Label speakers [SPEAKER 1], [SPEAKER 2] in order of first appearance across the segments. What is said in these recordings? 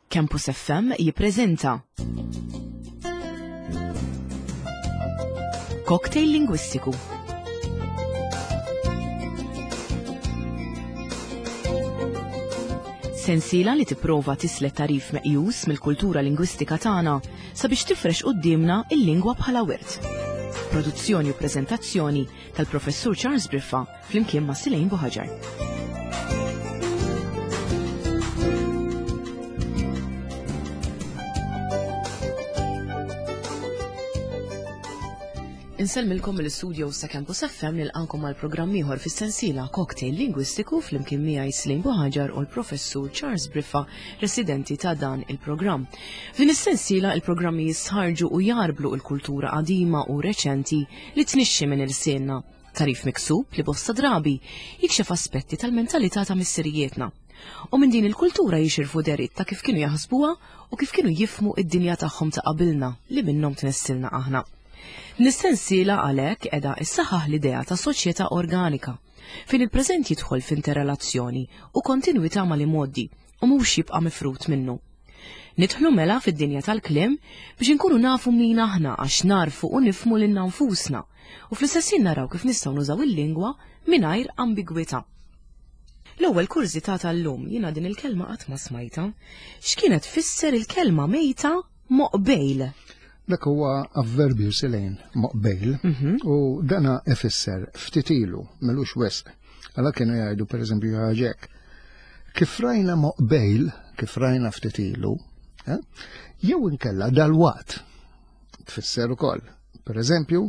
[SPEAKER 1] Campus FM jippreżenta Cocktail Lingwistiku. Sensiela li tipprova tislet tarif meqjus mill-kultura lingwistika tagħna sabiex tifrex quddiemna il-lingwa bħala wirt. Produzzjoni u preżentazzjoni tal-Professur Charles Briffa flimkien ma' Silejn Buħaġar. Insellmilkom mill-istudio sa Campus FM nilqankom għal programm ieħor fis-sensiela Cocktail Lingwistiku flimkien miegħi Slim Buħaġar u l-Professur Charles Briffa, residenti ta' dan il-programm. F'din is-sensiela il-programmi jistħarġu u jarblu l-kultura qadima u reċenti li tnixxi minn ilsienna. Tagħrif miksub li bosta drabi jikxef aspetti tal-mentalità ta' missirijietna. U minn din il-kultura jixirfu deritt ta' kif kienu jaħsbuha u kif kienu jifhmu id-dinja tagħhom ta' qabilna li minnhom tnessilna aħna. Din is-sensiela għalhekk qiegħda issaħħaħ l-idea ta' soċjetà organika, fejn il-preżent jidħol f'interrelazzjoni u kontinwità mal-imgħoddi u mhux jibqa' mifrud minnu. Nidħlu mela fid-dinja tal-kliem biex inkunu nafu min aħna għax nagħrfu u nifhmu lilna nfusna u fl-istess ħin naraw kif nistgħu nużaw il-lingwa mingħajr ambigwità. L-ewwel kurżità tal-lum, jiena din il-kelma qatt ma smajtha. X'kienet tfisser il-kelma mejta moqbejl?
[SPEAKER 2] Dak huwa avverbju silejn moqbejl mhm. u dana ifisser ftit ilu melux wisq. Għala kienu jgħidu pereżempju ħaġek. Kif rajna moqbejl, kif rajna ftit ilu, eh, jew inkella dal-waqt tfisser ukoll. Pereżempju,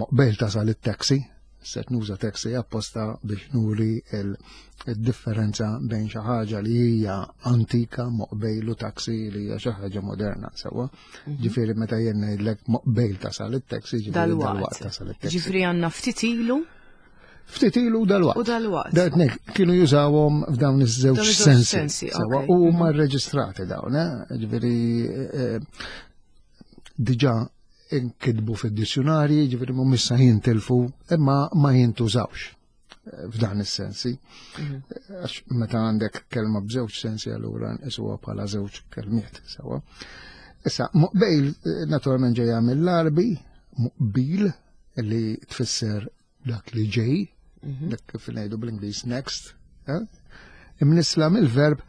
[SPEAKER 2] moqbejl tasal it-taxi, Set nuża taxi apposta biex nuri il-differenza bejn xi ħaġa li hija antika moqbejl u taxi li hija xi ħaġa moderna sewwa. Mhm. Ġifieri meta jien ngħidlek moqbejl tasal it-taxi, ġifieri
[SPEAKER 1] dalwaqt tasal it-taxi. Ġifieri għandna ftit ilu
[SPEAKER 2] Ftit ilu dalwaqt.
[SPEAKER 1] U dalwaqt.
[SPEAKER 2] Datnek kienu jużawhom f'dawn iż-żewġ sensi. Sewwa u huma mhm. rreġistrati dawn, eh? ġifieri eh, diġà inkitbu fid-dizzjunarji, ġifieri mhumiex sa jintilfu, imma ma jintużawx eh, f'dan is-sensi. Mhm. Għax meta għandek kelma b'żewġ sensi allura nqisuha bħala żewġ kelmiet sewwa. Issa, muqbejl eh, naturalment ġejja mill-Arbi, muqbil li tfisser dak li ġej, mhm. dak kif ngħidu bl-Ingliż next, eh? imnisla mill-verb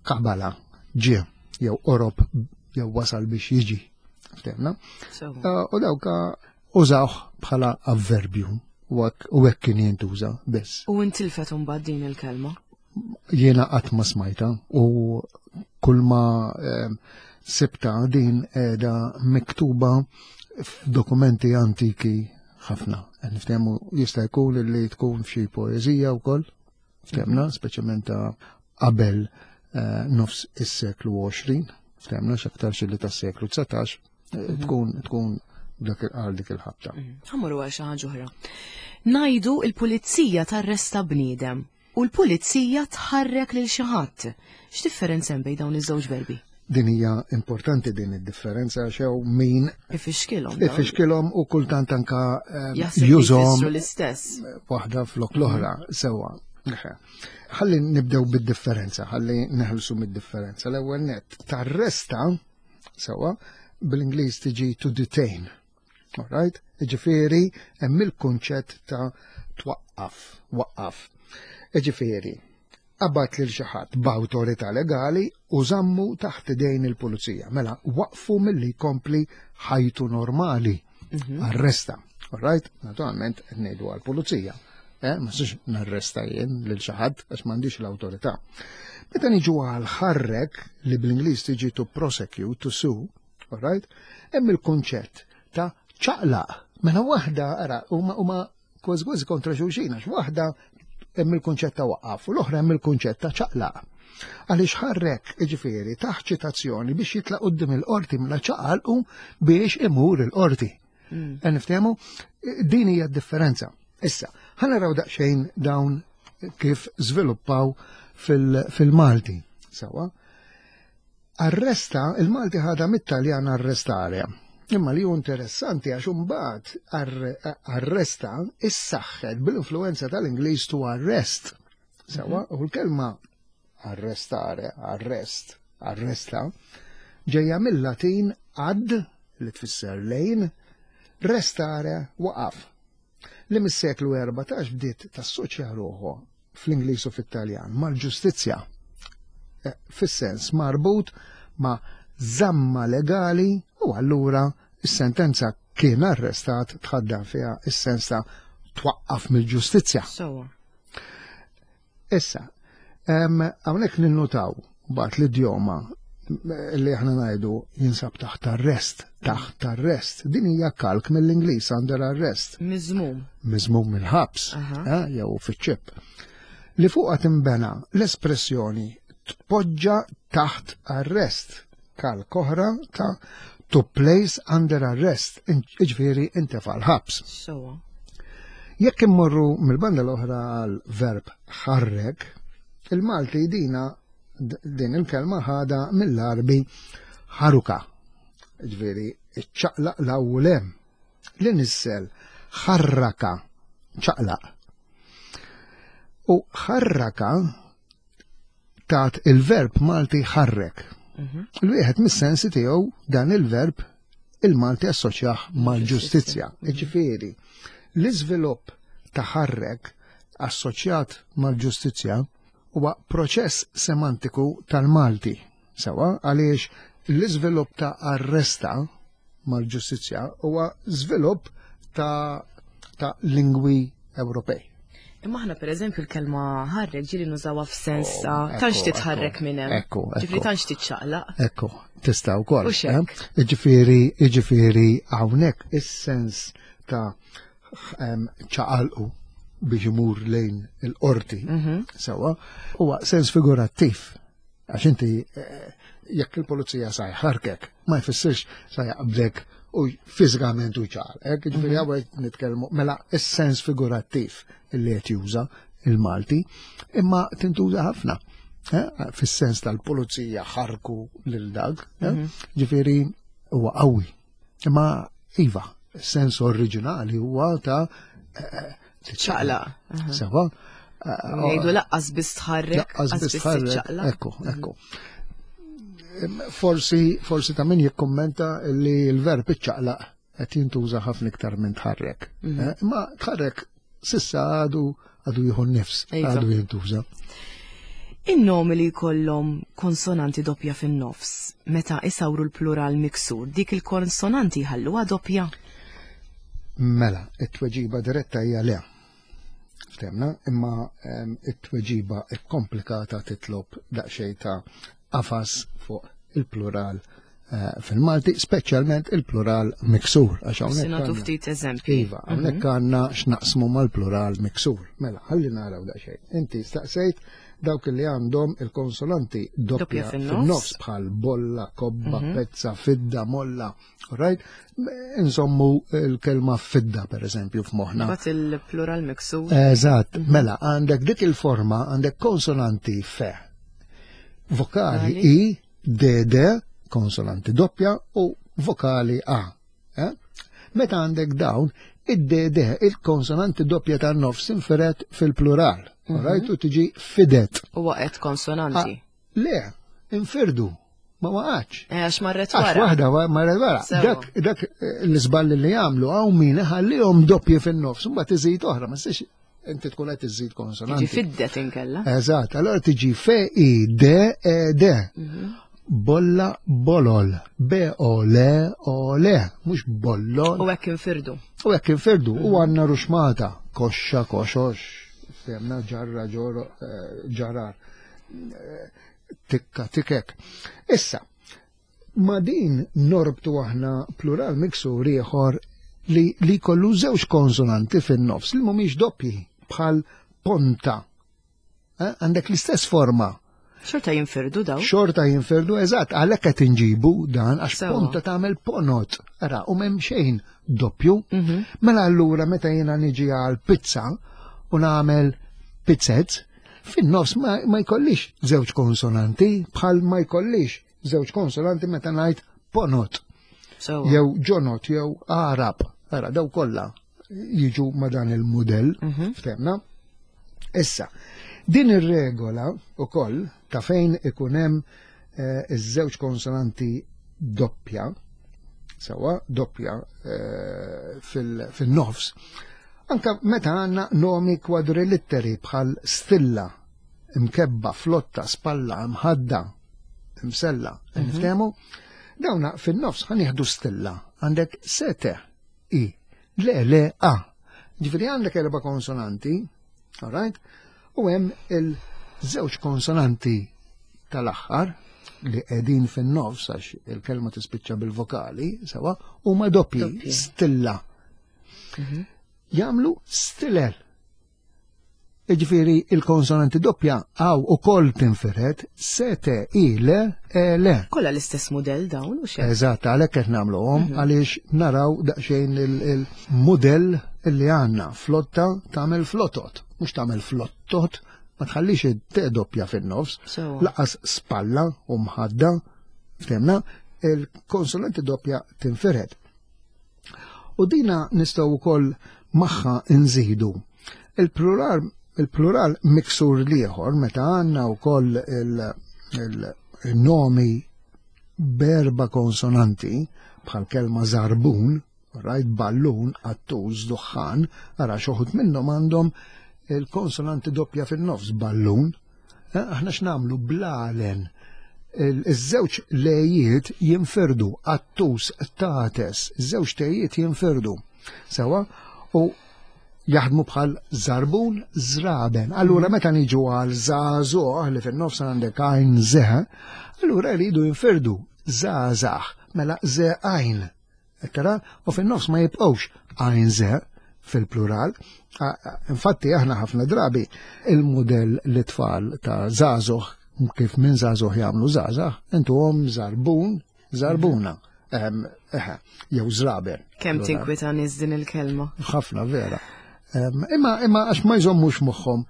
[SPEAKER 2] qabala, ġie, jew orob, jew wasal biex jiġi. Ftemna? Eh, u dawka użawh bħala avverbju u hekk kien jintuża biss.
[SPEAKER 1] U intilfet imbagħad din il-kelma?
[SPEAKER 2] Jiena qatt ma smajta u kull ma eh, sibta din qiegħda miktuba f'dokumenti antiki ħafna. Niftehmu jista' jkun li tkun f'xi poeżija wkoll, ftehmna, mhm. speċjalment ta' qabel eh, nofs is-seklu 20, ftehmna x'aktar xi li tas-seklu 19 eh, mhm. tkun tkun dak il-qal dik il-ħabta.
[SPEAKER 1] Mhm. Ħammur għal xi ħaġa oħra. Najdu il-pulizija tarresta bniedem U l-pulizija tħarrek lil xi ħadd. X'differenza hemm bejn dawn iż-żewġ verbi?
[SPEAKER 2] Din hija importanti din id-differenza għax hawn min
[SPEAKER 1] ifixkilhom.
[SPEAKER 2] Ifixkilhom u kultant anka eh, jużhom
[SPEAKER 1] l-istess.
[SPEAKER 2] Waħda flok l-oħra sewwa. Ħalli nibdew bid-differenza, ħalli neħelsu mid-differenza. L-ewwel net tarresta sewwa bl-Ingliż tiġi to detain. Alright? Ġifieri hemm il-kunċett ta' twaqqaf, waqqaf. Ġifieri, qabad lil xi ħadd b'awtorità legali u żammu taħt idejn il-pulizija. Mela waqfu milli jkompli ħajtu normali. Mhm. Arresta. Alright? Naturalment qed ngħidu għall-pulizija. Eh, ma six narresta jien lil xi ħadd għax m'għandix l-awtorità. Meta niġu għal ħarrek li bl-Ingliż tiġi to prosecute, to sue, Alright? Hemm il-kunċett ta' ċaqlaq. Mela waħda, ara, huma huma kważi kważi kontra xulxin, għax waħda hemm il-kunċett ta' waqqaf u l-oħra hemm il-kunċett ta' ċaqlaq. Għaliex ħarrek, jiġifieri, taħt ċitazzjoni biex jitlaq quddiem il-qorti mela ċaqalqu biex imur il-qorti. Mm. Niftehmu, din hija d-differenza. Issa, ħa naraw daqsxejn dawn kif żviluppaw fil-Malti. Sawa. Arresta, il-Malti ħadha mit-Taljan arrestare. Imma li hu interessanti għax imbagħad arresta issaħħet bil-influenza tal-Ingliż to arrest. Sewa, u l-kelma arrestare, arrest, arresta, ġejja mill-Latin ad, li tfisser lejn, restare, waqaf. Li mis-seklu 14 bdiet tassoċja ruħu fl-Ingliż u fit-Taljan mal-ġustizzja, eh, fis-sens marbut ma' żamma legali u allura is-sentenza kien arrestat tħaddan fiha is-sens ta' twaqqaf mill-ġustizzja. Issa, hawnhekk ninnutaw bat l-idjoma li aħna ngħidu jinsab taħt arrest, taħt arrest. Din hija kalk mill-Ingliż under arrest.
[SPEAKER 1] Miżmum.
[SPEAKER 2] Miżmum mill-ħabs, eh, jew fiċ-ċip. Li fuqha timbena l-espressjoni tpoġġa taħt arrest kalk oħra ta' to place under arrest, iġifieri intefa' l-ħabs.
[SPEAKER 1] Sewa.
[SPEAKER 2] Jekk immorru mill-banda l-oħra għal verb ħarrek, il-Malti dina din il-kelma ħada mill-Arbi ħaruka. Ġifieri iċċaqlaq l-awlem li nissel ħarraka ċaqlaq. U ħarraka tat il-verb Malti ħarrek. Mhm. L-wieħed mis-sensi tiegħu dan il-verb il-Malti assoċjah mal-ġustizzja. Mhm. Ġifieri, l-iżvilupp ta' ħarrek assoċjat mal-ġustizzja huwa proċess semantiku tal-Malti. Sewa għaliex l-iżvilupp ta' arresta mal-ġustizzja huwa żvilupp ta', ta lingwi Ewropej.
[SPEAKER 1] Imma aħna pereżempju l-kelma ħarrek ġieli nużawha f'sens oh, ta' tantx titħarrek minn hemm.
[SPEAKER 2] Ekku,
[SPEAKER 1] Ġifieri tantx tiċċaqlaq.
[SPEAKER 2] Ekku, tista' wkoll. Eh? Ġifieri, ġifieri hawnhekk is-sens ta' ċaqalqu biex imur lejn il-qorti, mhm. sewa, huwa sens figurattiv. Għax inti eh, jekk il-pulizija sa jħarkek, ma jfissirx sa jaqbdek u fiżikament u ċar. Hekk ġifieri mhm. hawnhekk nitkellmu mela is-sens figurattiv li qed juża il-Malti, imma tintuża ħafna. Eh, fis-sens tal-pulizija ħarku lil dak, eh, mhm. ġifieri huwa qawwi. Imma iva, sens oriġinali huwa ta' eh,
[SPEAKER 1] ċaqla.
[SPEAKER 2] Sewa.
[SPEAKER 1] Ngħidu laqqas biss tħarrek.
[SPEAKER 2] Laqqas biss tħarrek. Ekku, ekku. Forsi, forsi ta' min jikkommenta li l-verb iċċaqlaq qed jintuża ħafna iktar minn tħarrek. Mhm. Eh, imma tħarrek sissa għadu għadu jieħu nifs, iva. għadu jintuża.
[SPEAKER 1] In-nomi li jkollhom konsonanti doppja fin-nofs, meta isawru l-plural miksur, dik il-konsonanti jħalluha doppja?
[SPEAKER 2] Mela, it-tweġiba diretta hija le. Ftemna, imma ehm, it-tweġiba komplikata titlob daqsxejn ta' qafas fuq il-plural eh, fil-Malti, speċjalment il-plural miksur.
[SPEAKER 1] Għax hawnhekk nagħtu ftit eżempji.
[SPEAKER 2] Iva, hawnhekk mhm. għandna x'naqsmu mal-plural miksur. Mela, ħalli naraw daqsxejn. Inti staqsejt dawk li għandhom il-konsonanti doppja fin-nofs bħal bolla, kobba, mhm. pezza, fidda, molla. Right? Insommu l-kelma fidda, per eżempju, f'moħna.
[SPEAKER 1] Bat il-plural miksur.
[SPEAKER 2] Eżatt, mhm. mela, għandek dik il-forma, għandek konsonanti fe. Vokali I, D, D, konsonanti doppja, u vokali A. Eh? Meta għandek dawn, id-D, D, il-konsonanti doppja tan nofs inferet fil-plural. Mm -hmm. U tiġi fidet.
[SPEAKER 1] U waqgħet konsonanti.
[SPEAKER 2] Ah, le, infirdu ma waqgħatx.
[SPEAKER 1] Eh, għax marret wara.
[SPEAKER 2] Għax waħda marret wara. Dak, dak eh, l-iżball li jagħmlu hawn min ħallihom doppji fin-nofs, mbagħad iżid oħra, ma siex inti tkun qed iżid konsonanti.
[SPEAKER 1] Tiġi fiddet inkella.
[SPEAKER 2] Eżatt, allora tiġi f i d e d. Mhm. Bolla bolol, b o l o l, mhux bollol.
[SPEAKER 1] U hekk infirdu.
[SPEAKER 2] U hekk infirdu, u mhm. għandna ruxmata, koxxa koxox, femna ġarra ġor eh, ġarar tikka tikek. Issa, ma din norbtu aħna plural miksur ieħor li, li kollu żewġ konsonanti fin-nofs li mhumiex doppji bħal ponta. Eh, għandek l-istess forma.
[SPEAKER 1] Xorta jinfirdu daw.
[SPEAKER 2] Xorta jinfirdu, eżatt, għalhekk qed inġibu dan għax ponta tagħmel ponot. Ara, u m'hemm xejn doppju. Mhm. Mela allura meta jiena niġi għal pizza u nagħmel pizzet, Fin-nofs ma, ma jkollix żewġ konsonanti bħal ma jkollix żewġ konsonanti meta ngħid ponot. So. Jew ġonot jew arab. Ara daw kollha jiġu ma dan il-mudell, mm -hmm. ftemna. Issa, din ir-regola ukoll ta' fejn ikun hemm eh, iż-żewġ konsonanti doppja, sewa doppja eh, fil-nofs, anka meta għandna nomi kwadrilitteri bħal stilla, imkebba, flotta, spalla, mħadda, msella, mhm. niftehmu? Dawna fin-nofs ħanieħdu stilla, għandek sete, i, le, le, a. Ġifieri għandek erba' konsonanti, all right? U hemm il-żewġ konsonanti tal-aħħar li qegħdin fin-nofs għax il-kelma tispiċċa bil-vokali, sewa, huma doppji, stilla. Mhm. Jagħmlu stiller. Iġifieri il-konsonanti doppja għaw u koll tinfiret S, T, I, L, E, L.
[SPEAKER 1] Kolla l-istess modell dawn u xejn.
[SPEAKER 2] Eżatt, għalhekk qed nagħmluhom mhm. għaliex naraw daqsxejn il-mudell li għandna flotta tagħmel flotot, mhux tagħmel flottot, ma tħallix it-T doppja fin-nofs, laqas spalla u mħadda, ftemna, il-konsonanti doppja tinfiret. U dina nistgħu wkoll magħha nżidu. Il-plural il-plural miksur liħor meta għandna wkoll il-nomi berba konsonanti bħal kelma zarbun, right, ballun, qattuż, duħħan, ara xoħut minnhom għandhom il-konsonanti doppja fin-nofs, ballun. Eh, aħna x'nagħmlu blalen iż-żewġ lejiet jinfirdu, qattus, tates, iż-żewġ tejiet jinfirdu. Sewa, u jaħdmu bħal zarbun zraben. Allura mhm. meta niġu għal żagħżugħ li fin-nofs għandek għajn zeħ, allura jridu jinfirdu żgħażagħ, mela ze għajn. Tara, u fin-nofs ma jibqgħux għajn ze fil-plural. Infatti aħna ħafna drabi il-mudell li tfal ta' żagħżugħ kif minn żagħżugħ jagħmlu żgħażagħ, intuhom żarbun, żarbuna. Eħe, jew żraben.
[SPEAKER 1] Kemm tinkwita nies din il-kelma?
[SPEAKER 2] Ħafna vera. Imma imma għax ma jżommux moħħhom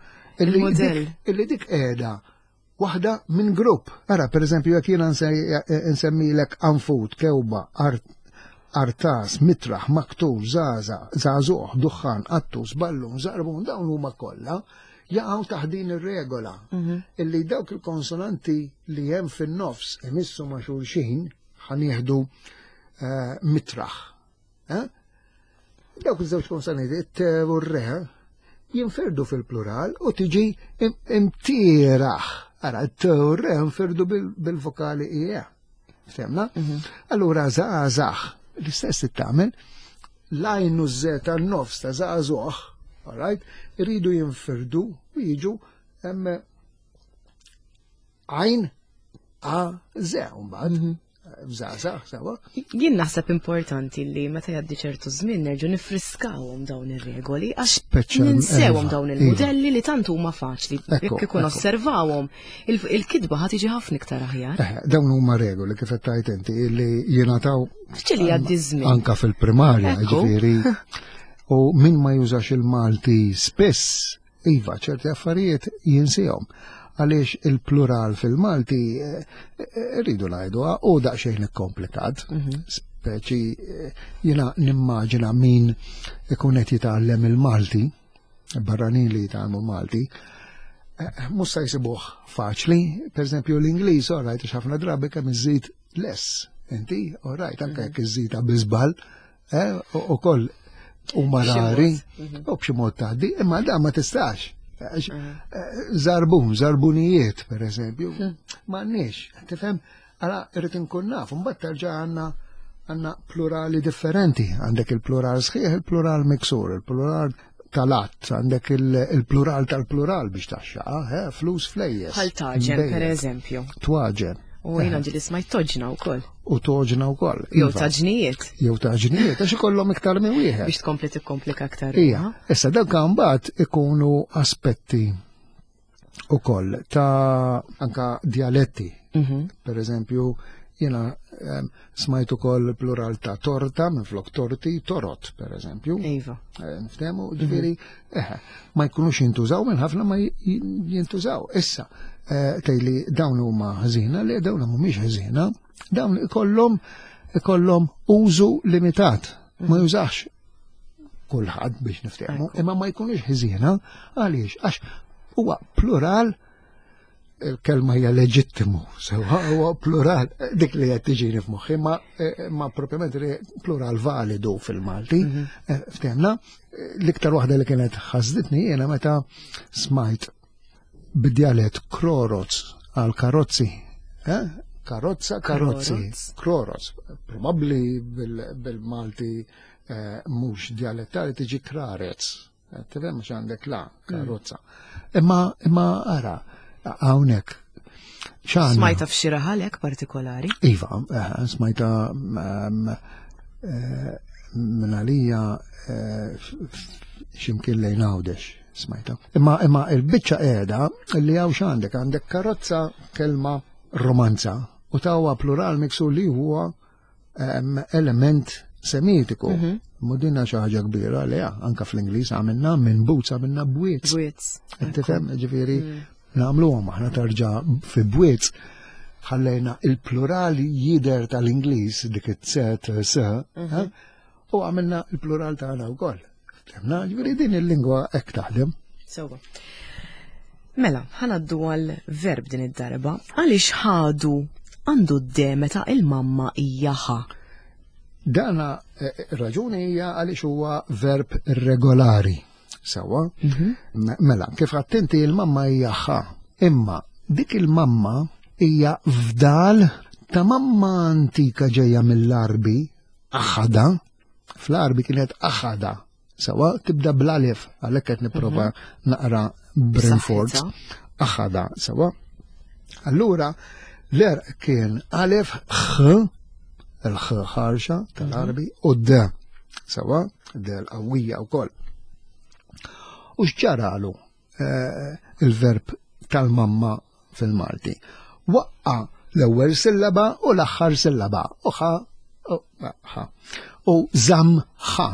[SPEAKER 2] illi dik qiegħda waħda minn grupp. Ara, per eżempju, jekk jiena nsemmilek anfut, kewba, artas, mitraħ, maktur, zaza, zazuħ, duħħan, qattus, ballun, zarbun, dawn huma kollha jaqgħu taħt din ir-regola mhm. illi dawk il-konsonanti li hemm fin-nofs imissu ma' xulxin ħanieħdu eh, mitraħ. Eh? Dawk iż-żewġ konsonanti, t u r-re, jinferdu fil-plural u tiġi imtieraħ. Ara, t u r-re jinferdu bil-vokali ie. Femna? Mhm. Allura, zaħzaħ, l-istess tagħmel, l-għajn u z tan-nofs ta' zaħzuħ, alright, iridu jinfirdu u jiġu għajn a ze, mbagħad. Mhm. Bżażaħ, sewa.
[SPEAKER 1] Jien naħseb importanti li meta jgħaddi ċertu żmien nerġgħu nifriskawhom dawn ir-regoli għax ninsewhom iva, dawn il-mudelli iva. li tant huma faċli. Jekk ikun osservawhom, il-kitba ħad tiġi ħafna iktar aħjar.
[SPEAKER 2] Eh, dawn huma regoli kif qed tgħid inti li jingħataw
[SPEAKER 1] Fċili jgħaddi żmien.
[SPEAKER 2] Anka fil-primarja, ġifieri. U min ma jużax il-Malti spiss Iva, ċerti affarijiet jinsihom għaliex il-plural fil-Malti eh, eh, rridu ngħidu u daqsxejn ikkomplikat. Mhm. Speċi eh, jiena nimmaġina min ikun qed jitgħallem il-Malti, barranin li jitgħallmu Malti, mhux se jsibuh faċli, pereżempju l-Ingliż, all right, ħafna drabi kemm iżid less, inti, all right, anke mhm. jekk iżidha bi żball, Eh, u koll u marari, mhm. u b'xi mod tgħaddi, imma da ma tistax. Mhm. Eh, zarbun, zarbunijiet, per eżempju, mhm. ma għandniex, tifhem, għala irrid inkun naf, mbagħad terġa' għandna għandna plurali differenti, għandek il-plural sħiħ, il-plural miksur, il-plural tal-att, għandek il-plural tal-plural biex taxxa, eh, flus flejjes.
[SPEAKER 1] Bħal taġen, per eżempju.
[SPEAKER 2] Twaġen.
[SPEAKER 1] U jina ġili smajt toġna u koll.
[SPEAKER 2] U toġna u koll.
[SPEAKER 1] Jew iva. taġnijiet.
[SPEAKER 2] Jew taġnijiet, għax ikollhom iktar minn wieħed.
[SPEAKER 1] Biex tkompli tikkomplika aktar.
[SPEAKER 2] Ija, issa dawk mbagħad ikunu aspetti ukoll ta' anka dialetti. Mhm. Per eżempju, jena smajt ukoll plural ta' torta minn flok torti, torot, per eżempju.
[SPEAKER 1] Iva.
[SPEAKER 2] Eh, Niftehmu, ġifieri, eh, ma jkunux jintużaw minn ħafna ma jintużaw. Issa, eh, tgħidli dawn huma ħżiena, li dawn mhumiex ħżiena, dawn ikollhom ikollhom użu limitat, ma mhm. jużax kulħadd biex niftehmu, imma ma jkunux ħżiena għaliex għax huwa plural. Il-kelma hija leġittimu, sewa huwa plural, dik li qed tiġini f'moħħi, ma, eh, ma propjament plural validu fil-Malti, mhm. eh, ftehmna, l-iktar waħda li kienet ħasditni jiena meta smajt bid-djalett kroroz għal karozzi. Eh? Karozza, karozzi, kroroz. Probabbli bil-Malti eh, mhux djalettali tiġi krarez. Eh, tifhem mhux għandek la karozza. Imma imma ara hawnhekk
[SPEAKER 1] Smajta f'xi raħalek partikolari?
[SPEAKER 2] Iva, eh, smajta ehm, eh, minn għalija eh, ximkien lejn għawdex smajta. Imma imma il-biċċa qiegħda li hawn x'għandek għandek karozza kelma romanza u tawa plural miksu li huwa element semitiku. Mhm. Mudina xi ħaġa kbira li anka fl-Ingliż għamilna minn boots għamilna bwiet.
[SPEAKER 1] Bwiet.
[SPEAKER 2] Tifhem, ġifieri mm. nagħmluhom aħna tarġa' fi bwiet ħallejna il-plural jider tal-Ingliż dik it-set s mhm. u għamilna il-plural tagħna wkoll. Ftemna, ġifieri din il-lingwa hekk taħdem.
[SPEAKER 1] Sewwa. Mela, ħanaddu għal verb din id-darba. Għaliex ħadu għandu d-de meta il-mamma hija ħa?
[SPEAKER 2] Dana eh, eh, raġuni hija għaliex huwa verb irregolari. Sewwa? Mhm. Mela, kif għattinti il-mamma hija ħa. Imma dik il-mamma hija fdal ta' mamma antika ġejja mill-Arbi, aħada, fl-Arbi kienet aħada. Sawa tibda bl-alif, għalhekk qed nipprova mhm. naqra b'rinforz. Aħada, sawa. Allura, l-erq kien alif x, il-x ħarxa tal-Arbi, mhm. u d, sawa, d l-qawwija wkoll. U x'ġaralu eh, il-verb tal-mamma fil-Malti. Waqqa l-ewwel sillaba u l-aħħar sillaba. U ħa, ħa. U żamm ħa.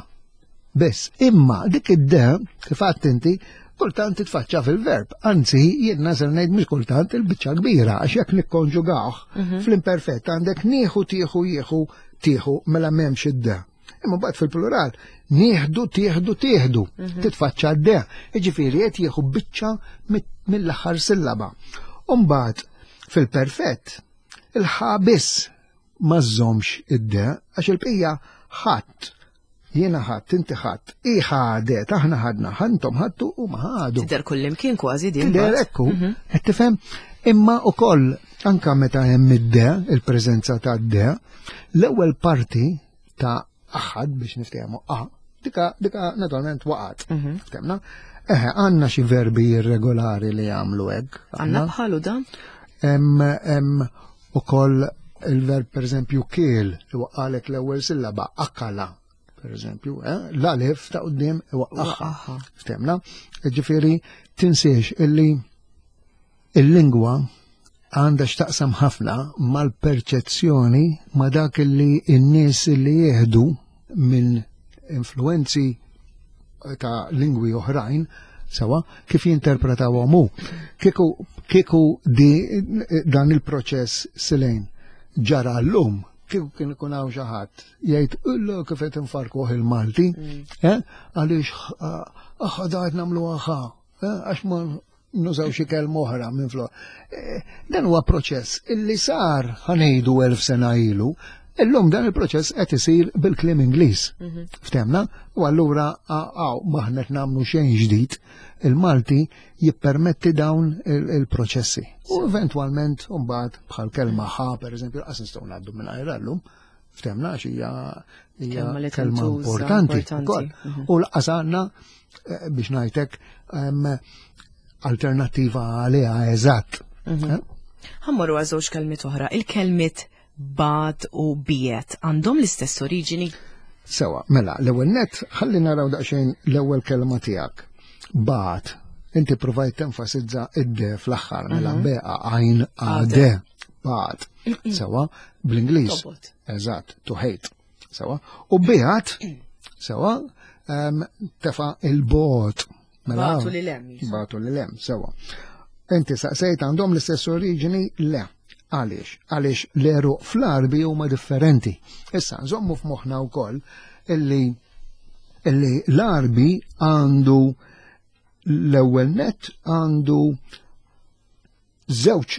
[SPEAKER 2] Biss, imma dik id-de, kif għadt inti, kultant titfaċċa fil-verb. Anzi, jien nasel ngħid mhux kultant il-biċċa kbira, għax jekk nikkonġugawh mhm. fl-imperfett għandek nieħu tieħu jieħu tieħu mela m'hemmx id-de. Imma mbagħad fil-plural, nieħdu, tieħdu, tieħdu, mhm. titfaċċa d-de. Jiġifieri qed jieħu biċċa mill-aħħar sillaba. U mbagħad fil-perfett, il-ħa biss ma żżomx id-de għax il-bqija ħadd jiena ħadd, inti ħadd, i ħadet, aħna ħadna, ħantom ħadtu u ma ħadu.
[SPEAKER 1] Tidher kullimkien kważi din.
[SPEAKER 2] Tidher ekku, mhm. qed tifhem? Imma ukoll anka meta hemm id-de, il-preżenza ta' de, l-ewwel parti ta' aħad biex niftehmu a, dika, dika naturalment waqgħet. Mhm. Ftemna? Eħe, għandna xi verbi irregolari li jagħmlu hekk.
[SPEAKER 1] Għandna bħalu dan?
[SPEAKER 2] Hemm ukoll il-verb pereżempju kiel iwaqqalek l-ewwel sillaba akala per eżempju, eh? l-alif ta' qudiem iwaqqaħħa. Ftemna? Ġifieri tinsiex illi Il-lingwa għandha x'taqsam ħafna mal-perċezzjoni ma' dak li n-nies li jieħdu minn influenzi ta' lingwi oħrajn sewa kif jinterpretawhom hu. Kieku kieku di dan il-proċess silejn ġara llum, kieku kien ikun hawn xi ħadd jgħid illu kif qed infarkuh il-Malti, mm. eh? għaliex aħ qed nagħmlu aħa, eh? għax ma nużaw xi kelma oħra minn flok. Eh, dan huwa proċess illi sar ħanejdu elf sena ilu, illum dan il-proċess qed isir bil-kliem Ingliż. Mhm. Ftemna, u allura għaw maħna qed nagħmlu xejn ġdid, il-Malti jippermetti dawn il-proċessi. U eventwalment mbagħad bħal kelma ħa pereżempju qas nistgħu ngħaddu minn llum. Ftemna għax hija kelma importanti ukoll. Mhm. U laqas għandna eh, biex ngħidlek alternattiva għaliha eżatt.
[SPEAKER 1] Mhm. Eh? Ħammorru għal żewġ kelmiet oħra. Il-kelmiet bad u biet għandhom l-istess oriġini?
[SPEAKER 2] Sewa, mela, l-ewwel net ħalli naraw daqsxejn l-ewwel kelma tiegħek. Bat, inti provajt tenfasizza id-de fl-aħħar, mela mhm. beqa għajn għade. Bat. Sewa, bl-Ingliż. Eżatt, to hate. Sewa. U biħat, sewa, tefa il-bot.
[SPEAKER 1] Mela, batu li lem.
[SPEAKER 2] Batu li lem, sewa. Inti saqsejt għandhom l-istess oriġini? Le. Għaliex? Għaliex l-eru fl-arbi huma differenti. Issa, nżommu f'moħħna wkoll illi illi l-arbi għandu l-ewwel net għandu żewġ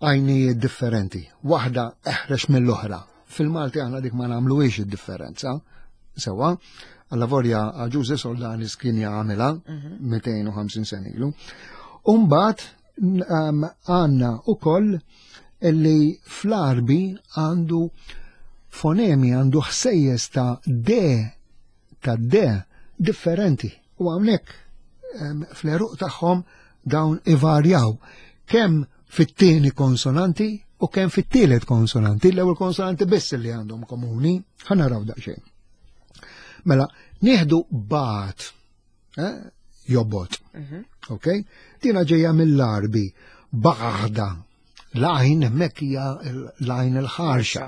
[SPEAKER 2] għajnijiet differenti, waħda eħrex mill-oħra. Fil-Malti aħna dik ma nagħmluhiex id-differenza. Sewwa, allavolja Ġuże Soldanis kien jagħmilha 250 sena ilu. Umbagħad għandna ukoll illi fl-Għarbi għandu fonemi, għandu ħsejjes ta' D ta' D differenti. U hawnhekk fl-għeruq tagħhom dawn ivarjaw kemm fit-tieni konsonanti u kemm fit-tielet konsonanti, l-ewwel konsonanti biss li għandhom komuni, ħa naraw daqsxejn. Mela, nieħdu bat, eh, jobot. Ok? Dina ġejja mill-Għarbi, baħda. L-għajn hemmhekk hija l-għajn il-ħarxa.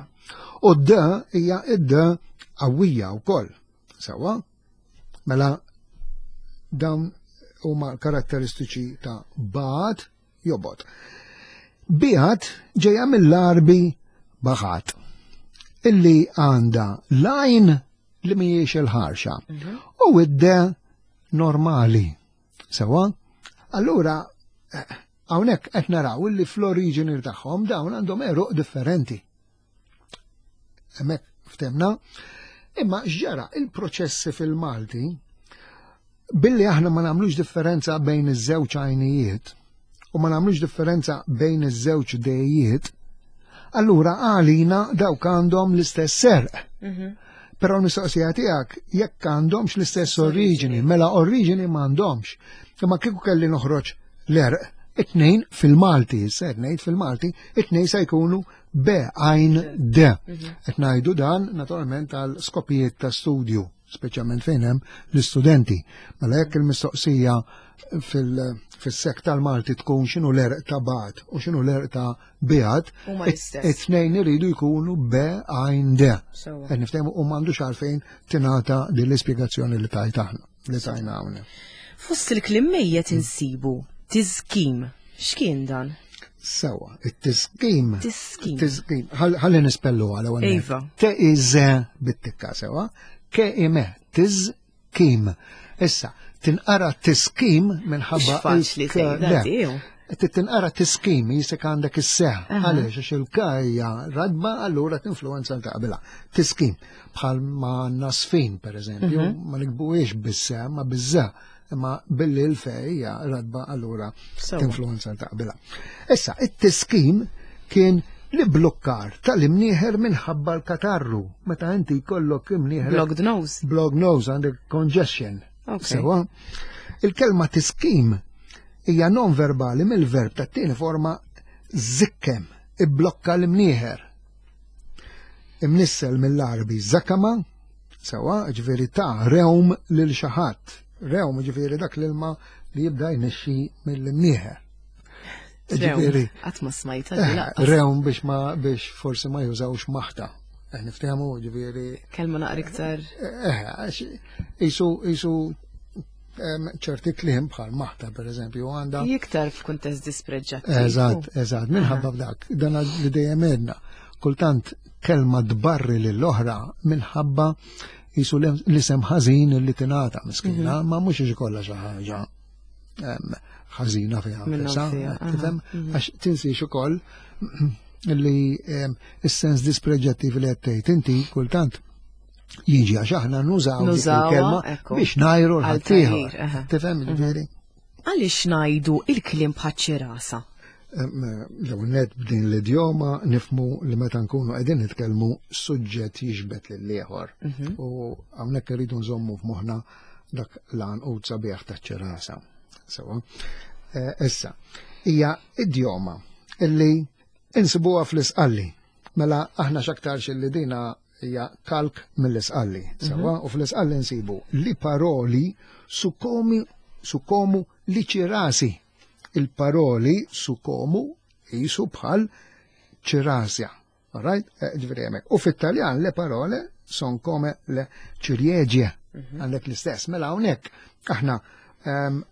[SPEAKER 2] U d hija id-d qawwija wkoll. Sewwa? Mela dawn huma karatteristiċi ta' bat jobot. Biħat ġejja mill-Għarbi baħat illi għandha l-għajn li mhijiex il-ħarxa u id-de normali. Sewwa? Allura eh, hawnhekk qed naraw illi fl-oriġini tagħhom dawn għandhom għeruq differenti. Hemmhekk ftemna. Imma x'ġara il-proċessi fil-Malti billi aħna ma nagħmlux differenza bejn iż-żewġ għajnijiet u ma nagħmlux differenza bejn iż-żewġ dejiet, allura għalina dawk għandhom l-istess serq. Però l-mistoqsija tiegħek jekk għandhomx l-istess oriġini, mela oriġini m'għandhomx. Imma kieku kelli noħroġ l-għerq, it-tnejn fil-Malti, issa qed ngħid fil-Malti, it-tnejn se jkunu B għajn D. Qed ngħidu dan naturalment għal skopijiet ta' studju, speċjalment fejn hemm l-istudenti. Mela jekk il-mistoqsija fil-sek tal-Malti tkun x'inhu l-għerq ta' bat u x'inhu l-għerq ta' biat,
[SPEAKER 1] Huma l-istess.
[SPEAKER 2] it-tnejn iridu jkunu B għajn D.
[SPEAKER 1] Sewwa.
[SPEAKER 2] Qed niftehmu u m'għandux għalfejn tingħata din l-ispjegazzjoni li tajt aħna, li tajna hawnhekk.
[SPEAKER 1] Fost il-kliem mejjet insibu tiżkim. X'kien dan?
[SPEAKER 2] Sewwa, it-tiskim.
[SPEAKER 1] Tiskim.
[SPEAKER 2] Tiskim. Ħalli nispellu għal ewwel.
[SPEAKER 1] Iva.
[SPEAKER 2] Te iż bit-tikka sewwa, ke ime tiżkim. Issa, tinqara tiskim minħabba.
[SPEAKER 1] Mhux faċli tgħidha di, jew?
[SPEAKER 2] Tinqara tiskim jisek għandek is-seħ. Għaliex għax il-ka hija radba allura tinfluwenza ta' qabilha. Tiskim. Bħal ma nasfin, per eżempju, ma nikbuhiex bis-seħ, ma biż-ża. Imma billi l-fe hija radba allura tinfluwenza ta' qabilha. Issa, it-tiskim kien li blokkar tal-imnieħer minħabba l-katarru. Meta inti jkollok imnieħer.
[SPEAKER 1] Blocked nose.
[SPEAKER 2] Blocked nose, għandek congestion. Sewa. Il-kelma tiskim hija non verbali mill-verb tat-tieni forma zikkem, ibblokka l-imnieħer. Imnissel mill-Għarbi zakama, sewa, ġifieri ta' rewm lil xi ħadd. Rewm ġifieri dak l-ilma li jibda jnexxi mill-imnieħer.
[SPEAKER 1] Ġifieri. Qatt ma smajta
[SPEAKER 2] eh, Rewm biex ma biex forsi ma jużawx maħta. Eh, niftehmu ġifieri.
[SPEAKER 1] Kelma naqra iktar.
[SPEAKER 2] Eh, isu isu ċerti kliem bħal maħta per eżempju għandha.
[SPEAKER 1] Iktar f'kuntest dispreġġattiv.
[SPEAKER 2] Eżatt, eżatt, minħabba f'dak, dan li dejjem għedna. Kultant kelma tbarri lill-oħra minħabba jisu l-isem ħażin li tingħata miskina, mhm. ma mhux ikollha xi ħaġa ħażina fiha nfisha, tifhem? Mhm. Għax tinsiex ukoll li s-sens dispreġġattiv li qed tgħid inti kultant jiġi għax aħna nużaw il-kelma biex ngħajru l-ħaddieħor. Tifhem mhm. ġifieri?
[SPEAKER 1] Għaliex ngħidu il-kliem bħaċ-ċirasa?
[SPEAKER 2] L-ewwel nett b'din l-idjoma nifhmu li meta nkunu qegħdin nitkellmu suġġett jiġbed lil ieħor. Mhm. U hawnhekk irridu nżommu f'moħħna dak l-għanqud sabiħ taċ-ċirasa. Sewa. Eh, issa, hija idjoma illi insibuha fl-isqalli. Mela aħna x'aktarx illi dina hija kalk mill-isqalli. Sewa, mhm. u fl-isqalli nsibu li paroli sukomi sukomu li ċirasi. Il-paroli sukomu jisu bħal ċirasja. Alright? Eh, ġifieri hemmhekk. U fit-Taljan le parole son come le ciliegie. Mhm. Għandek l-istess. Mela hawnhekk aħna ehm,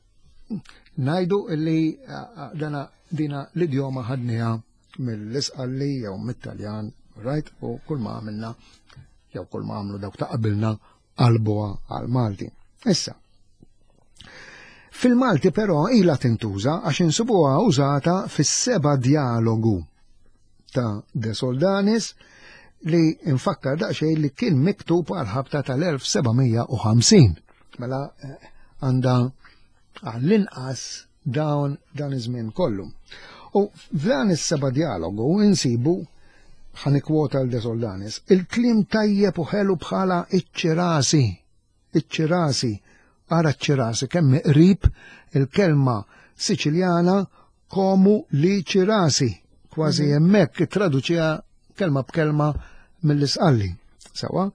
[SPEAKER 2] ngħidu li eh, eh, dana dina l-idjoma ħadniha mill-Isqalli jew mit-Taljan, right? U kull ma għamilna jew kull ma għamlu dawk ta' qabilna qalbuha għal Malti. Issa, Fil-Malti però ilha tintuża għax insibuha użata fis-seba' djalogu ta' De Soldanis li nfakkar daqsxejn li kien miktub għal ħabta tal-1750. Mela eh, għandha għall-inqas dawn dan iż-żmien kollu. U f'dan is-seba' djalogu insibu ħanikwota l De Soldanis, il-kliem tajjeb u ħelu bħala iċ-ċirasi iċ-ċirasi, ara ċ-ċirasi kemm qrib il-kelma Siċiljana komu li ċirasi, kważi mhm. hemmhekk ittraduċiha kelma b'kelma mill-isqalli. Sawa,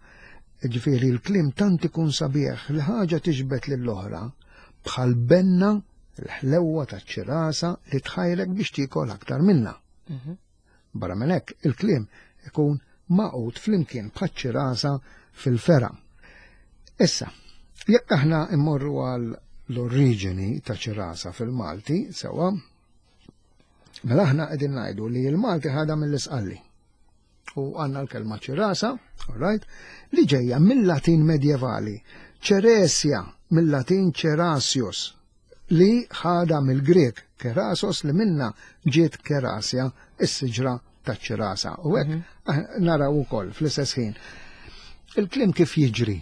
[SPEAKER 2] ġifieri l-kliem tant ikun sabiħ li ħaġa tiġbed lill-oħra bħal benna l-ħlewwa taċ-ċirasa li tħajrek biex tiekol aktar minna. Mhm. Barra minn hekk, il-kliem ikun magħqud flimkien bħaċ-ċirasa fil-fergħa. Issa, jekk aħna mmorru għal l-oriġini ta' ċirasa fil-Malti, sewa, mela aħna qegħdin ngħidu li l-Malti ħadha mill-Isqalli. U għandna l-kelma ċirasa, all right, li ġejja mill-Latin medjevali, ċeresja mill-Latin ċerasius, li ħadha mill-Grieg kerasos li minna ġiet kerasja, is-siġra taċ-ċirasa. U hekk mhm. naraw ukoll fl-istess ħin. Il-kliem kif jiġri?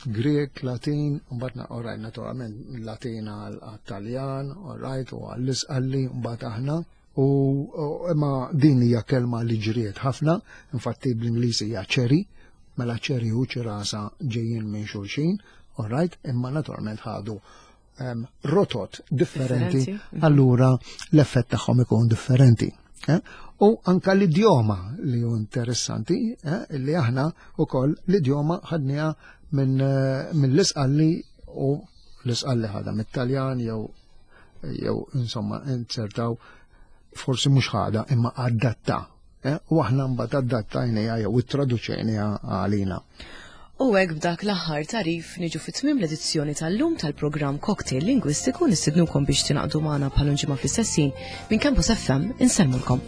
[SPEAKER 2] Grek, Latin, mbagħad orajt naturalment Latin għal-Taljan, orajt u għall-Isqalli, mbagħad aħna. U imma din hija kelma li ġriet ħafna, infatti bl-Ingliż hija cherry, mela cherry u ċirasa ġejjin minn xulxin, alright, imma naturalment ħadu um, rotot differenti, mhm. allura l-effett tagħhom ikun differenti. Eh? U anka l-idjoma li hu interessanti, eh, li aħna ukoll l-idjoma ħadniha minn eh, min l-isqalli u l-isqalli ħadha mit-Taljan jew jew insomma insertaw forsi mhux ħada imma adatta Eh, u aħna mbagħad adattajniha jew ittraduċejniha għalina.
[SPEAKER 1] U hekk b'dak l-aħħar tarif niġu fi tmiem l-edizzjoni tal-lum tal-programm Cocktail Lingwistiku nistidnukom biex tingħaqdu magħna bħal ġimgħa fl-istess ħin minn Campus FM insellmulkom.